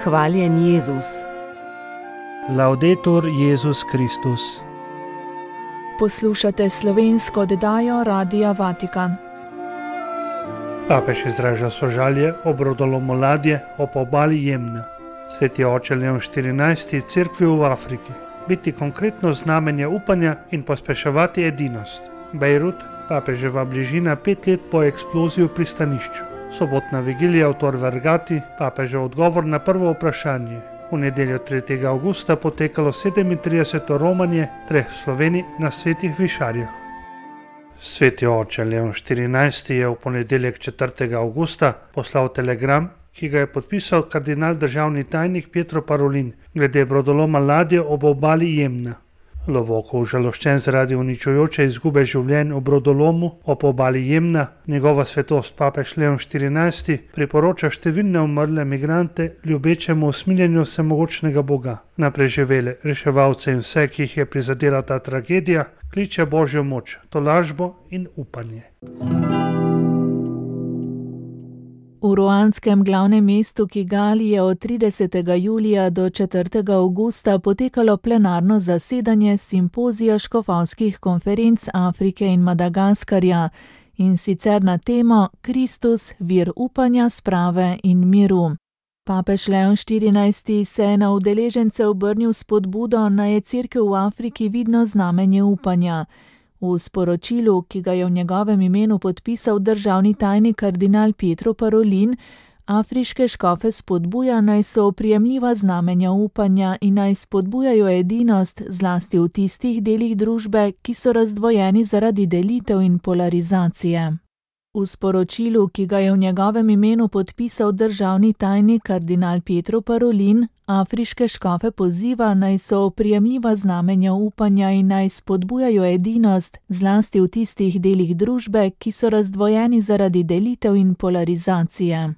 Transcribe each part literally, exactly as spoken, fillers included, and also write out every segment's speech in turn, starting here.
Hvaljen Jezus. Laudetur Jezus Kristus. Poslušate slovensko oddajo Radia Vatikan. Papež izraža sožalje ob rodolomu ladje ob obali Jemna. Sveti oče Leon štirinajsti Cerkvi v Afriki biti konkretno znamenje upanja in pospeševati edinost. Bejrut, papeževa bližina pet let po eksploziji v pristanišču. Sobotna vigilija v Tor Vergati, papežev odgovor na prvo vprašanje. V nedeljo tretjega avgusta potekalo sedemintrideseto romanje treh Slovenij na Svetih Višarjah. Sveti oče Leon štirinajsti je v ponedeljek četrtega avgusta poslal telegram, ki ga je podpisal kardinal državni tajnik Pietro Parolin glede brodoloma ladje ob obali Jemna. Globoko užaloščen zaradi uničujoče izgube življenj v brodolomu ob obali Jemna, njegova svetost papež Leon štirinajsti priporoča številne umrle migrante ljubečemu usmiljenju vsemogočnega Boga. Na preživele, reševalce in vse, ki jih je prizadela ta tragedija, kliče Božjo moč, tolažbo in upanje. V ruandskem glavnem mestu Kigali je od tridesetega julija do četrtega avgusta potekalo plenarno zasedanje simpozija škofovskih konferenc Afrike in Madagaskarja, in sicer na temo Kristus, vir upanja, sprave in miru. Papež Leon štirinajsti se je na udeležence obrnil s spodbudo, naj je Cerkev v Afriki vidno znamenje upanja. V sporočilu, ki ga je v njegovem imenu podpisal državni tajnik kardinal Pietro Parolin, afriške škofe spodbuja, naj so oprijemljiva znamenja upanja in naj spodbujajo edinost zlasti v tistih delih družbe, ki so razdvojeni zaradi delitev in polarizacije. V sporočilu, ki ga je v njegovem imenu podpisal državni tajnik kardinal Pietro Parolin, afriške škofe poziva, naj so oprijemljiva znamenja upanja in naj spodbujajo edinost zlasti v tistih delih družbe, ki so razdvojeni zaradi delitev in polarizacije.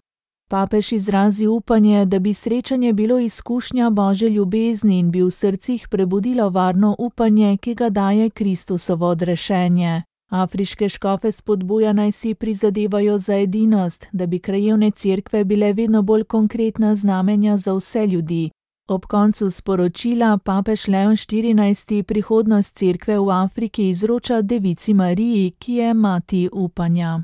Papež izrazi upanje, da bi srečanje bilo izkušnja Božje ljubezni in bi v srcih prebudilo varno upanje, ki ga daje Kristusovo odrešenje. Afriške škofe spodbuja, naj si prizadevajo za edinost, da bi krajevne cerkve bile vedno bolj konkretna znamenja za vse ljudi. Ob koncu sporočila papež Leon štirinajsti prihodnost cerkve v Afriki izroča Devici Mariji, ki je mati upanja.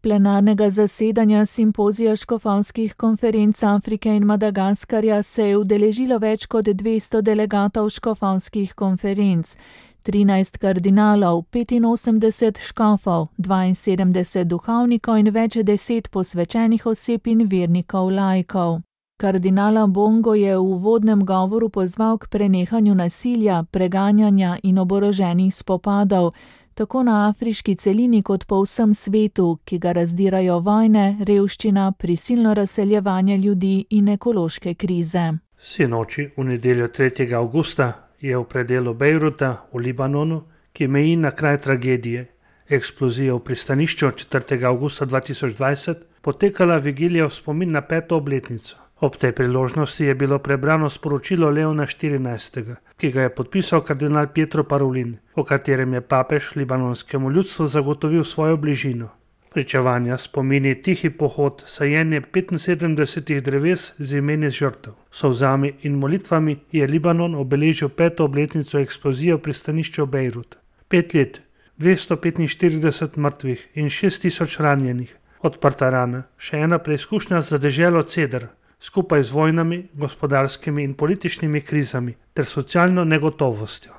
Plenarnega zasedanja simpozija škofovskih konferenc Afrike in Madagaskarja se je udeležilo več kot dvesto delegatov škofovskih konferenc, trinajst kardinalov, petinosemdeset škofov, dvainsedemdeset duhovnikov in več deset posvečenih oseb in vernikov laikov. Kardinala Bongo je v uvodnem govoru pozval k prenehanju nasilja, preganjanja in oboroženih spopadov, tako na afriški celini kot po vsem svetu, ki ga razdirajo vojne, revščina, prisilno razseljevanje ljudi in ekološke krize. Sinoči v nedeljo tretjega avgusta je v predelu Bejruta v Libanonu, ki meji na kraj tragedije, eksplozije v pristanišču četrtega avgusta dva tisoč dvajset, potekala vigilija v spomin na peto obletnico. Ob tej priložnosti je bilo prebrano sporočilo Leona štirinajstega, ki ga je podpisal kardinal Pietro Parolin, v katerem je papež libanonskemu ljudstvu zagotovil svojo bližino. Pričevanja, spomini, tihi pohod, sajenje petinsedemdesetih dreves z imeni žrtev. Solzami in molitvami je Libanon obeležil peto obletnico eksplozije v pristanišču Bejrut. Pet let, dvesto petinštirideset mrtvih in šest tisoč ranjenih, odprta rana, še ena preizkušnja za deželo Cedar, skupaj z vojnami, gospodarskimi in političnimi krizami ter socialno negotovostjo.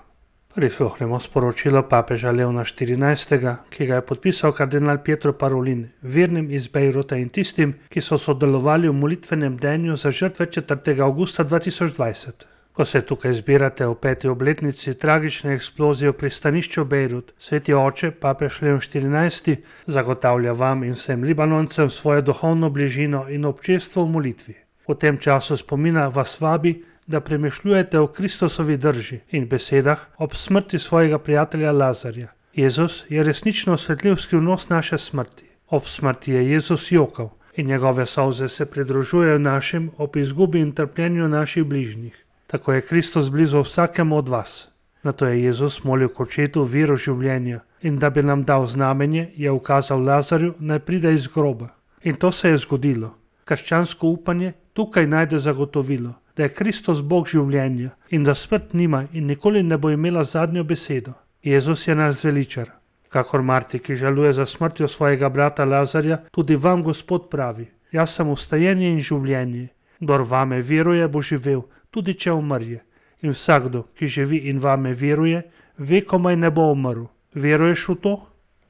Prisluhnemo sporočilo papeža Leona štirinajstega, ki ga je podpisal kardinal Pietro Parolin, vernim iz Bejruta in tistim, ki so sodelovali v molitvenem bdenju za žrtve četrtega avgusta dva tisoč dvajset. Ko se tukaj zbirate v peti obletnici tragične eksplozije v pristanišču Bejrut, sveti oče, papež Leon štirinajsti, zagotavlja vam in vsem Libanoncem svojo duhovno bližino in občestvo v molitvi. V tem času spomina vas vabi, da premišljujete o Kristusovi drži in besedah ob smrti svojega prijatelja Lazarja. Jezus je resnično osvetlil skrivnost naše smrti. Ob smrti je Jezus jokal in njegove solze se pridružujejo našim ob izgubi in trpljenju naših bližnjih. Tako je Kristus blizu vsakemu od vas. Nato je Jezus molil k očetu viro življenja in da bi nam dal znamenje, je ukazal Lazarju, naj pride iz groba. In to se je zgodilo. Krščansko upanje tukaj najde zagotovilo, da je Kristus Bog življenja in da smrt nima in nikoli ne bo imela zadnjo besedo. Jezus je naš zveličar. Kakor Marti, ki žaluje za smrtjo svojega brata Lazarja, tudi vam Gospod pravi: jaz sem vstajenje in življenje. Kdor vame veruje, bo živel, tudi če umrje. In vsakdo, ki živi in vame veruje, vekomaj ne bo umrl. Veruješ v to?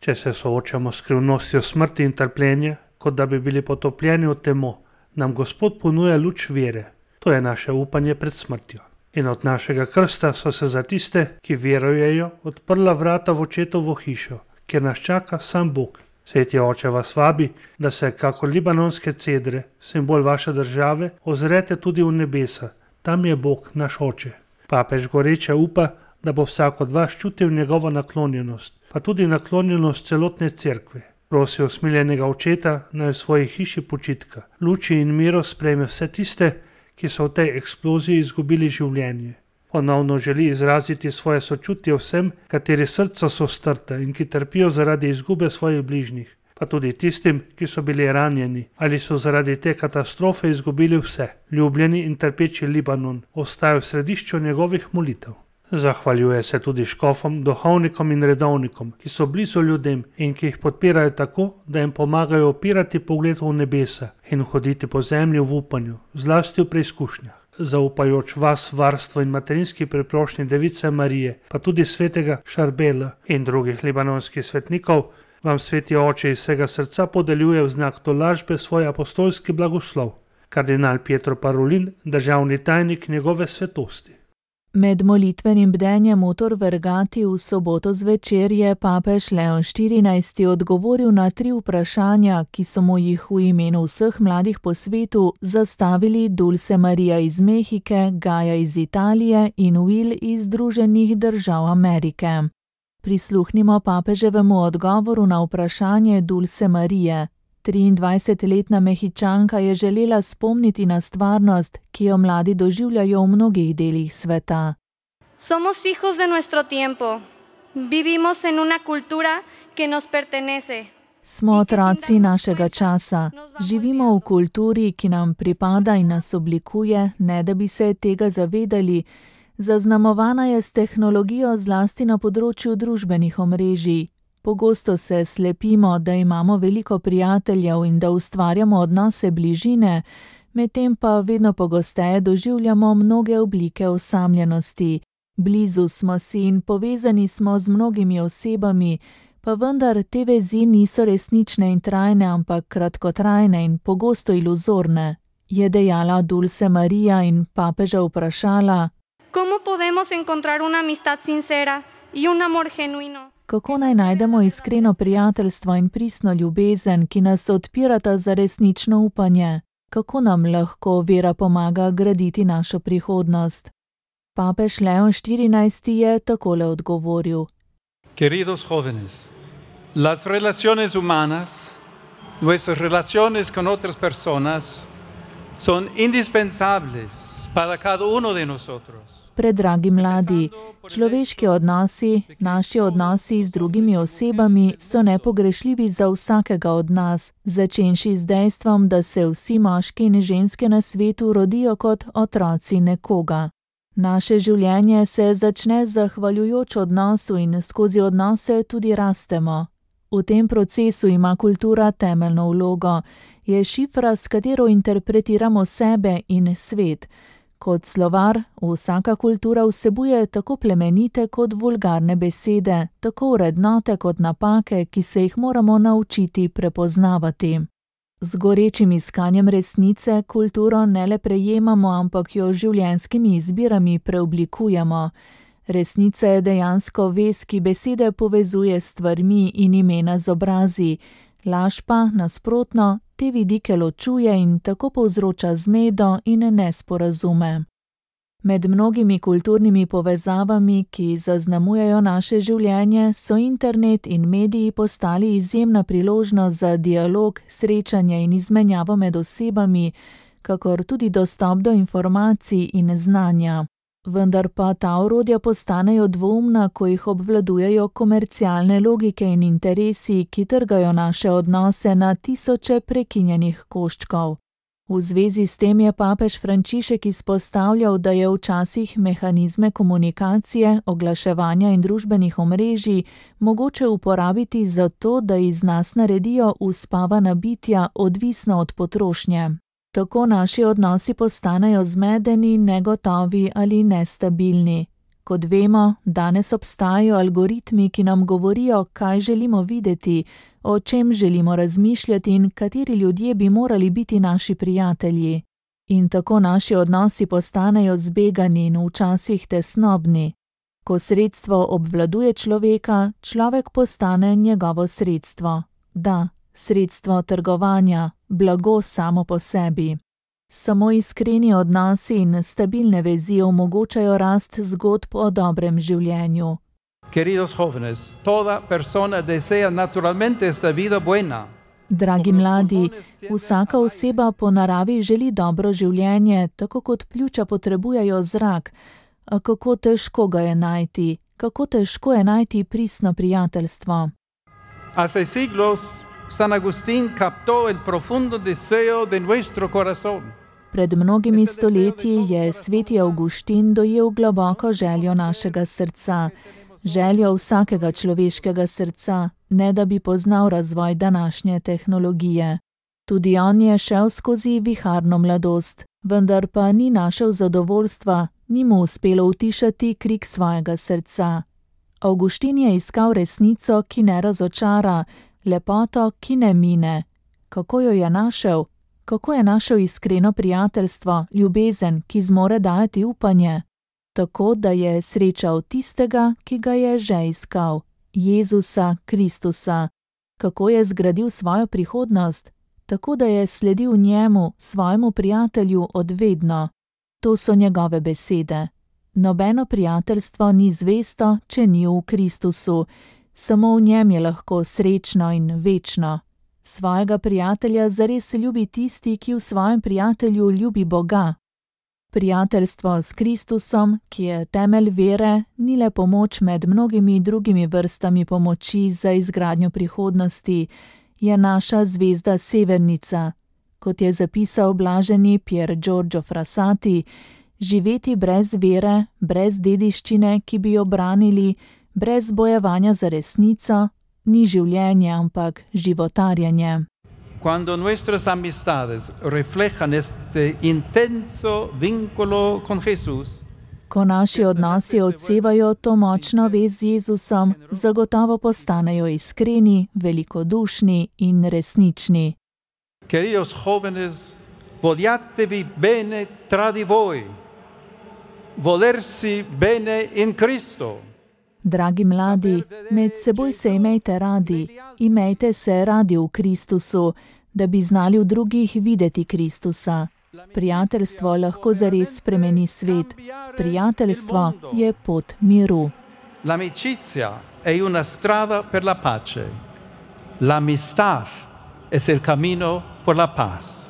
Če se soočamo s skrivnostjo smrti in trpljenja, kot da bi bili potopljeni v temo, nam Gospod ponuja luč vere. To je naše upanje pred smrtjo. In od našega krsta so se za tiste, ki verujejo, odprla vrata v očetovo hišo, kjer nas čaka sam Bog. Sveti Oče vas vabi, da se, kako libanonske cedre, simbol vaše države, ozrete tudi v nebesa. Tam je Bog, naš Oče. Papež goreče upa, da bo vsak od vas čutil njegovo naklonjenost, pa tudi naklonjenost celotne cerkve. Prosi usmiljenega očeta, naj v svoji hiši počitka, luči in miro sprejme vse tiste, ki so v tej eksploziji izgubili življenje. Ponovno želi izraziti svoje sočutje vsem, kateri srca so strta in ki trpijo zaradi izgube svojih bližnjih, pa tudi tistim, ki so bili ranjeni ali so zaradi te katastrofe izgubili vse. Ljubljeni in trpeči Libanon ostaja v središču njegovih molitev. Zahvaljuje se tudi škofom, duhovnikom in redovnikom, ki so blizu ljudem in ki jih podpirajo tako, da jim pomagajo opirati pogled v nebesa in hoditi po zemlji v upanju, zlasti v preizkušnjah. Zaupajoč vas varstvo in materinski priprošnji Device Marije, pa tudi svetega Šarbela in drugih libanonskih svetnikov, vam Sveti Oče iz vsega srca podeljuje v znak tolažbe svoj apostolski blagoslov. Kardinal Pietro Parolin, državni tajnik njegove svetosti. Med molitvenim bdenjem v Tor Vergati v soboto zvečer je papež Leon štirinajsti odgovoril na tri vprašanja, ki so mu jih v imenu vseh mladih po svetu zastavili Dulce Maria iz Mehike, Gaja iz Italije in Will iz Združenih držav Amerike. Prisluhnimo papeževemu odgovoru na vprašanje Dulce Marije. triindvajsetletna Mehičanka je želela spomniti na stvarnost, ki jo mladi doživljajo v mnogih delih sveta. Somos hijos de nuestro tiempo. Vivimos en una cultura que nos pertenece. Smo otroci našega časa. Živimo v kulturi, ki nam pripada in nas oblikuje, ne da bi se tega zavedali. Zaznamovana je s tehnologijo zlasti na področju družbenih omrežij. Pogosto se slepimo, da imamo veliko prijateljev in da ustvarjamo odnose bližine, medtem pa vedno pogosteje doživljamo mnoge oblike osamljenosti. Blizu smo si in povezani smo z mnogimi osebami, pa vendar te vezi niso resnične in trajne, ampak kratkotrajne in pogosto iluzorne, je dejala Dulce Maria in papeža vprašala: ¿Cómo podemos encontrar una amistad sincera y un amor genuino? Kako naj najdemo iskreno prijateljstvo in pristno ljubezen, ki nas odpirata za resnično upanje? Kako nam lahko vera pomaga graditi našo prihodnost? Papež Leon štirinajsti je takole odgovoril: Queridos jóvenes, las relaciones humanas, nuestras relaciones con otras personas, son indispensables para cada uno de nosotros. Predragi mladi, človeški odnosi, naši odnosi z drugimi osebami so nepogrešljivi za vsakega od nas, začenši z dejstvom, da se vsi moški in ženske na svetu rodijo kot otroci nekoga. Naše življenje se začne zahvaljujoč odnosu in skozi odnose tudi rastemo. V tem procesu ima kultura temeljno vlogo, je šifra, s katero interpretiramo sebe in svet. Kot slovar, vsaka kultura vsebuje tako plemenite kot vulgarne besede, tako vrednote kot napake, ki se jih moramo naučiti prepoznavati. Z gorečim iskanjem resnice kulturo ne le prejemamo, ampak jo življenjskimi izbirami preoblikujemo. Resnica je dejansko vez, ki besede povezuje s stvarmi in imena z obrazi. Laž pa, nasprotno, te vidike ločuje in tako povzroča zmedo in nesporazume. Med mnogimi kulturnimi povezavami, ki zaznamujejo naše življenje, so internet in mediji postali izjemna priložnost za dialog, srečanje in izmenjavo med osebami, kakor tudi dostop do informacij in znanja. Vendar pa ta orodja postanejo dvoumna, ko jih obvladujejo komercialne logike in interesi, ki trgajo naše odnose na tisoče prekinjenih koščkov. V zvezi s tem je papež Frančišek izpostavljal, da je včasih mehanizme komunikacije, oglaševanja in družbenih omrežij mogoče uporabiti za to, da iz nas naredijo uspavana bitja, odvisna od potrošnje. Tako naši odnosi postanejo zmedeni, negotovi ali nestabilni. Kot vemo, danes obstajajo algoritmi, ki nam govorijo, kaj želimo videti, o čem želimo razmišljati in kateri ljudje bi morali biti naši prijatelji. In tako naši odnosi postanejo zbegani in včasih tesnobni. Ko sredstvo obvladuje človeka, človek postane njegovo sredstvo. Da, sredstvo trgovanja, blago samo po sebi. Samo iskreni odnosi in stabilne vezi omogočajo rast zgodb o dobrem življenju. Queridos jóvenes, toda persona desea naturalmente esta vida buena. Dragi mladi, vsaka oseba po naravi želi dobro življenje, tako kot pljuča potrebujejo zrak. A kako težko ga je najti, kako težko je najti pristno prijateljstvo. Hace siglos San Agustín captó el profundo deseo de nuestro corazón. Pred mnogimi stoletji je sveti Avguštin dojel globoko željo našega srca, željo vsakega človeškega srca, ne da bi poznal razvoj današnje tehnologije. Tudi on je šel skozi viharno mladost, vendar pa ni našel zadovoljstva, ni mu uspelo utišati krik svojega srca. Avguštin je iskal resnico, ki ne razočara, lepoto, ki ne mine. Kako jo je našel? Kako je našel iskreno prijateljstvo, ljubezen, ki zmore dajati upanje? Tako, da je srečal tistega, ki ga je že iskal, Jezusa Kristusa. Kako je zgradil svojo prihodnost? Tako, da je sledil njemu, svojemu prijatelju odvedno. To so njegove besede. Nobeno prijateljstvo ni zvesto, če ni v Kristusu. Samo v njem je lahko srečno in večno. Svojega prijatelja zares ljubi tisti, ki v svojem prijatelju ljubi Boga. Prijateljstvo s Kristusom, ki je temelj vere, ni le pomoč med mnogimi drugimi vrstami pomoči za izgradnjo prihodnosti, je naša zvezda severnica. Kot je zapisal blaženi Pier Giorgio Frassati, živeti brez vere, brez dediščine, ki bi jo branili, brez bojevanja za resnico, ni življenje, ampak životarjenje. Cuando nuestras amistades reflejan este intenso vínculo con Jesús, ko naši odnosi odsevajo to močno vez z Jezusom, zagotovo postanejo iskreni, velikodušni in resnični. Queridos jóvenes, vogliatevi bene tra di voi, volersi bene in Cristo. Dragi mladi, med seboj se imejte radi, imejte se radi v Kristusu, da bi znali v drugih videti Kristusa. Prijateljstvo lahko zares spremeni svet. Prijateljstvo je pot miru. L'amicizia è una strada per la pace. L'amistad es el camino por la paz.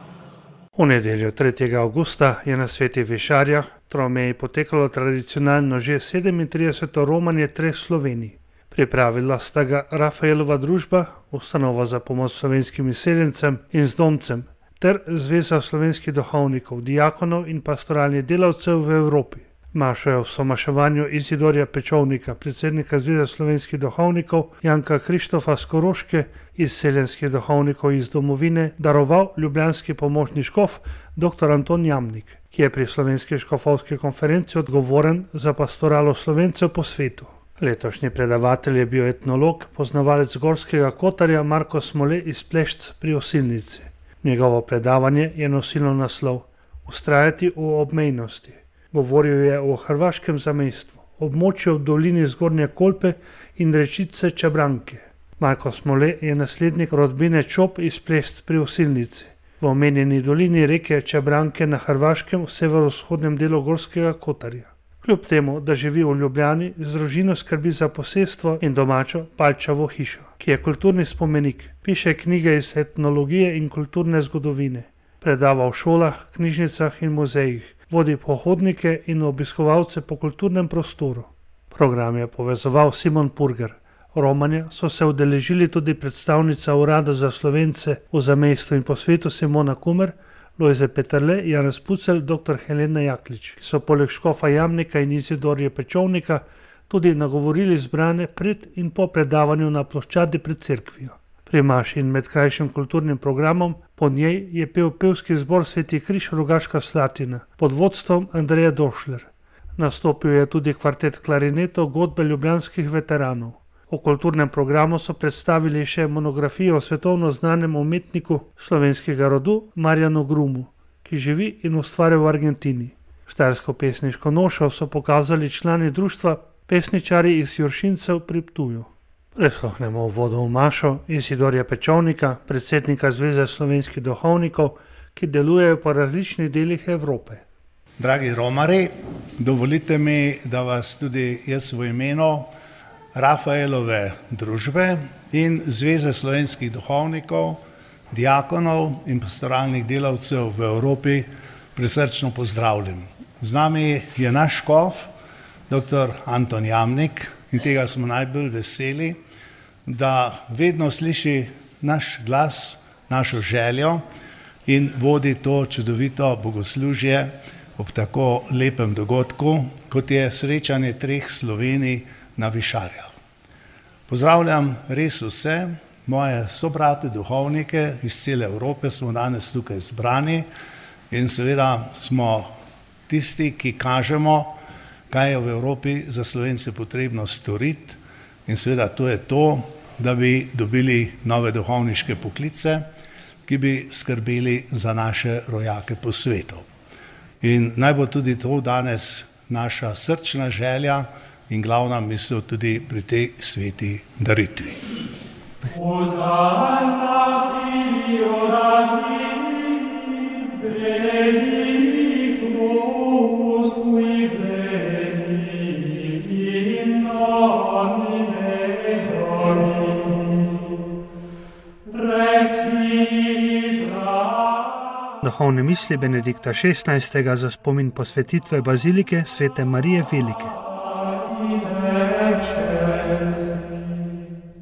V nedeljo tretjega avgusta je na Svetih Višarjah Tromeji potekalo tradicionalno že sedemintrideseto romanje treh Slovenij. Pripravila sta ga Rafaelova družba, ustanova za pomoč slovenskim izseljencem in zdomcem, ter Zveza slovenskih duhovnikov, diakonov in pastoralnih delavcev v Evropi. Mašo je v somaševanju Izidorja Pečovnika, predsednika Zveze slovenskih duhovnikov, Janka Krištofa z Koroške, izseljenskih duhovnikov iz domovine, daroval ljubljanski pomočni škof dr. Anton Jamnik, ki je pri Slovenski škofovski konferenci odgovoren za pastoralo Slovencev po svetu. Letošnji predavatelj je bil etnolog, poznavalec Gorskega Kotarja Marko Smole iz Plešc pri Osilnici. Njegovo predavanje je nosilo naslov Vztrajati v obmejnosti. Govoril je o hrvaškem zamejstvu, območju v dolini Zgornje Kolpe in rečice Čabranke. Marko Smole je naslednik rodbine Čop iz Plešc pri Osilnici. V omenjeni dolini reke Čabranke na Hrvaškem v severovzhodnem delu Gorskega Kotarja. Kljub temu, da živi v Ljubljani, z družino skrbi za posestvo in domačo Palčavo hišo, ki je kulturni spomenik, piše knjige iz etnologije in kulturne zgodovine, predava v šolah, knjižnicah in muzejih, vodi pohodnike in obiskovalce po kulturnem prostoru. Program je povezoval Simon Purger. Romanja so se udeležili tudi predstavnica Urada za Slovence v zamejstvu in po svetu Simona Kumer, Lojze Peterle, Janez Pucelj, doktor Helena Jaklič, ki so poleg škofa Jamnika in Izidorja Pečovnika tudi nagovorili zbrane pred in po predavanju na ploščadi pred cerkvijo. Pri maši in med krajšim kulturnim programom po njej je pel pevski zbor Sveti križ Rogaška Slatina pod vodstvom Andreja Došler. Nastopil je tudi kvartet klarinetov godbe ljubljanskih veteranov. V kulturnem programu so predstavili še monografijo o svetovno znanem umetniku slovenskega rodu Marjanu Grumu, ki živi in ustvarja v Argentini. Štajersko pesniško nošo so pokazali člani društva Pesničari iz Juršincev pri Ptuju. Prisluhnemo uvodu v mašo Izidorja Pečovnika, predsednika Zveze slovenskih duhovnikov, ki delujejo po različnih delih Evrope. Dragi romari, dovolite mi, da vas tudi jaz v imenu Rafaelove družbe in Zveze slovenskih duhovnikov, diakonov in pastoralnih delavcev v Evropi prisrčno pozdravljam. Z nami je naš škof, doktor Anton Jamnik, in tega smo najbolj veseli, da vedno sliši naš glas, našo željo in vodi to čudovito bogoslužje ob tako lepem dogodku, kot je srečanje treh Slovenij na Višarjah. Pozdravljam res vse, moje sobrate duhovnike iz cele Evrope, smo danes tukaj zbrani in seveda smo tisti, ki kažemo, kaj je v Evropi za Slovence potrebno storiti, in seveda to je to, da bi dobili nove duhovniške poklice, ki bi skrbeli za naše rojake po svetu. In naj bo tudi to danes naša srčna želja in glavna misel tudi pri tej sveti daritvi. Duhovne misli Benedikta šestnajstega za spomin posvetitve bazilike Svete Marije Velike.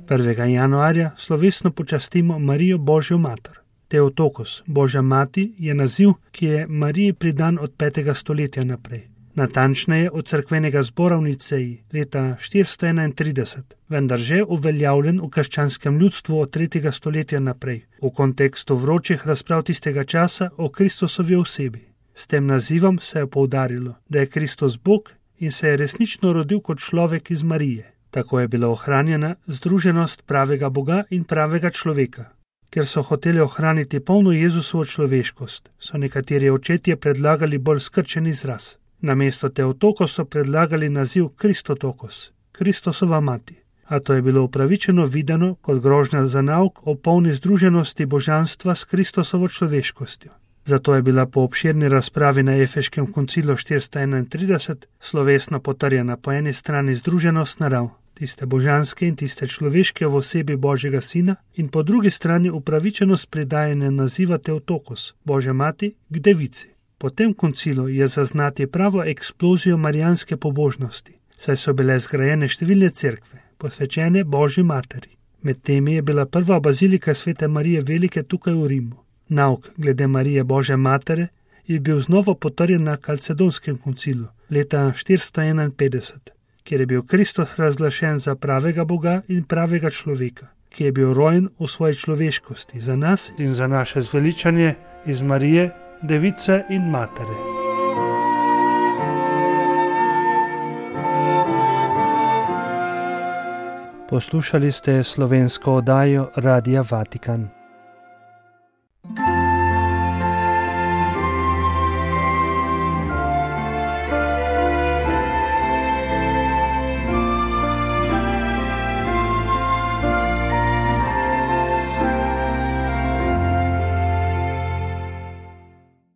prvega januarja slovesno počastimo Marijo Božjo mater. Theotokos, Božja mati, je naziv, ki je Mariji pridan od petega stoletja naprej. Natančneje od cerkvenega zbora v Niceji leta štiristo enaintrideset, vendar že uveljavljen v krščanskem ljudstvu od tretjega stoletja naprej, v kontekstu vročih razprav tistega časa o Kristusovi osebi. S tem nazivom se je poudarilo, da je Kristus Bog in se je resnično rodil kot človek iz Marije. Tako je bila ohranjena združenost pravega Boga in pravega človeka. Ker so hoteli ohraniti polno Jezusovo človeškost, so nekateri očetje predlagali bolj skrčen izraz. Namesto Theotokos so predlagali naziv Kristotokos, Kristusova mati, a to je bilo upravičeno videno kot grožnja za nauk o polni združenosti božanstva s Kristusovo človeškostjo. Zato je bila po obširni razpravi na Efeškem koncilu štiristo enaintrideset slovesno potrjena po eni strani združenost narav, tiste božanske in tiste človeške v osebi Božjega Sina, in po drugi strani upravičenost pridajanja naziva Theotokos, Božja mati, k devici. Po tem koncilu je zaznati pravo eksplozijo marijanske pobožnosti, saj so bile zgrajene številne cerkve, posvečene Božji materi. Med temi je bila prva bazilika Svete Marije Velike tukaj v Rimu. Nauk glede Marije Božje matere je bil znova potrjen na Kalcedonskem koncilu leta štiristo enainpetdeset, kjer je bil Kristus razglašen za pravega Boga in pravega človeka, ki je bil rojen v svoji človeškosti za nas in za naše zveličanje iz Marije, Device in Matere. Poslušali ste slovensko oddajo Radia Vatikan.